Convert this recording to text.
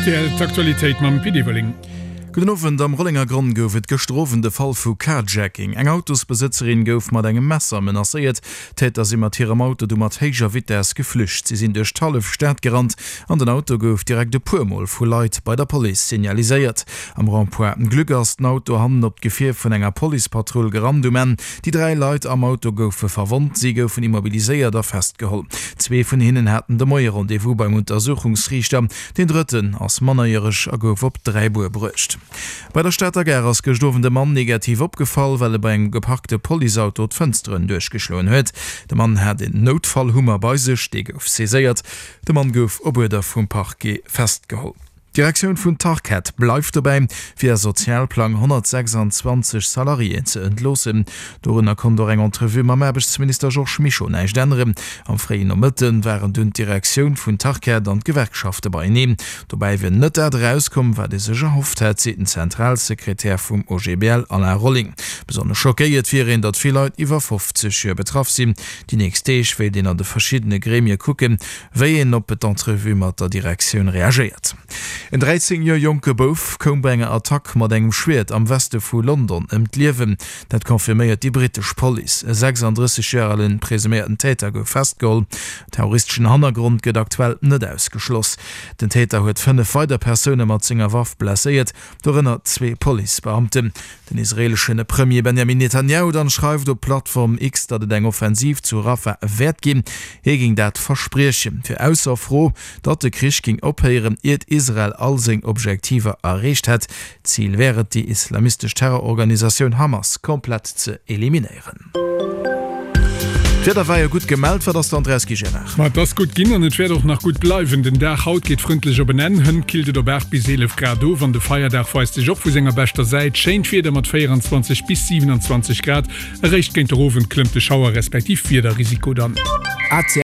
Rtl, D'Aktualitéit mam Pit Everling. Gudden Owend. Am Rollengergronn gouf et gëschter Owend e Fall vu Carjacking. Eng Autosbesëtzerin gouf mat engem Messer menacéiert. D'Täter si mat hirem Auto du mat héijer Vitess geflücht. Si sinn duerch d'hallef Stad gerannt an den Auto gouf direkt e puer Mol vu Leit bei der Police signaliséiert. Am Rond-point Glück ass den Auto hannen op d'Gefier vun enger Policepatrull gerannt. Um Enn déi 3 Leit am Auto goufe verwonnt. Si goufen immobiliséiert a festgeholl. Zwee vun hinnen haten de Moie Rendez-vous beim Untersuchungsriichter. Deen drëtten ass mannerjäreg a gouf op Dräibuer bruecht. Bei der Stater Gare ass gëscht Owend e Mann negativ opgefall, well e bei engem geparkte Policeauto d'Fënsteren duerchgeschloen huet. De Mann hat een Noutfallhummer bei sech, dee gouf saiséiert. De Mann gouf op Uerder vum Parquet festgeholl. D'Direktioun vun Tarkett bleift dobäi, via Sozialplang 126 Salariéen ze entloossen. Dorunner konnt och eng Entrevue mam Aarbechtsminister Georges Mischo näischt änneren. Am fréien Nomëtte waren dunn d'Direktioun vun Tarkett an d'Gewerkschafte beieneen. Dobäi wier net dat erauskomm, wat ee sech erhofft hätt, seet den Zentralsekretär vum OGBL Alain Rolling. Besonnesch schockéiert wier een, datt vill Leit iwwer 50 Joer betraff sinn. Déi nächst Deeg wéilt een an de verschiddene Gremie kucken, wéi een op d'Entrevue mat der Direktioun reagéiert. En 13 Joer jonke Bouf koum bei enger Attack mat engem Schwiert am Weste vu London ëm d'Liewen. Dat confirméiert déi brittesch Police. E 36 Joer ale presuméierten Täter gouf festgeholl. Terroristeschen Hannergrond gëtt aktuell net ausgeschloss. Den Täter huet 5 weider Persoune mat senger Waff blesséiert, dorënner zwee Policebeamten. Den israeelesche Premier Benjamin Netanjahu dann schreift op Plattform X, datt et eng Offensiv zu Rafah wäert ginn. Hie géing dat verspriechen. Fir ausser Fro, datt de Krich géing ophéieren, iert Israel all seng Objektiver erreecht hätt. Zil wär et, déi islamistesch Terrororganisatioun Hamas komplett ze eliminéieren. D'Wieder war jo gutt gemellt, wat ass dann draus gi Gérard? Ma et ass gutt ginn an et wäert och nach gutt bleiwen. Den Dag haut geet frëndlech op en Enn, hënt killt et op 8 bis 11 Grad of an de Feierdag weist sech och vu senger beschter Säit. Schéint Wieder mat 24 bis 27 Grad. Eréischt géint der Owend klëmmt de Schauer respektiv Wiederrisiko dann.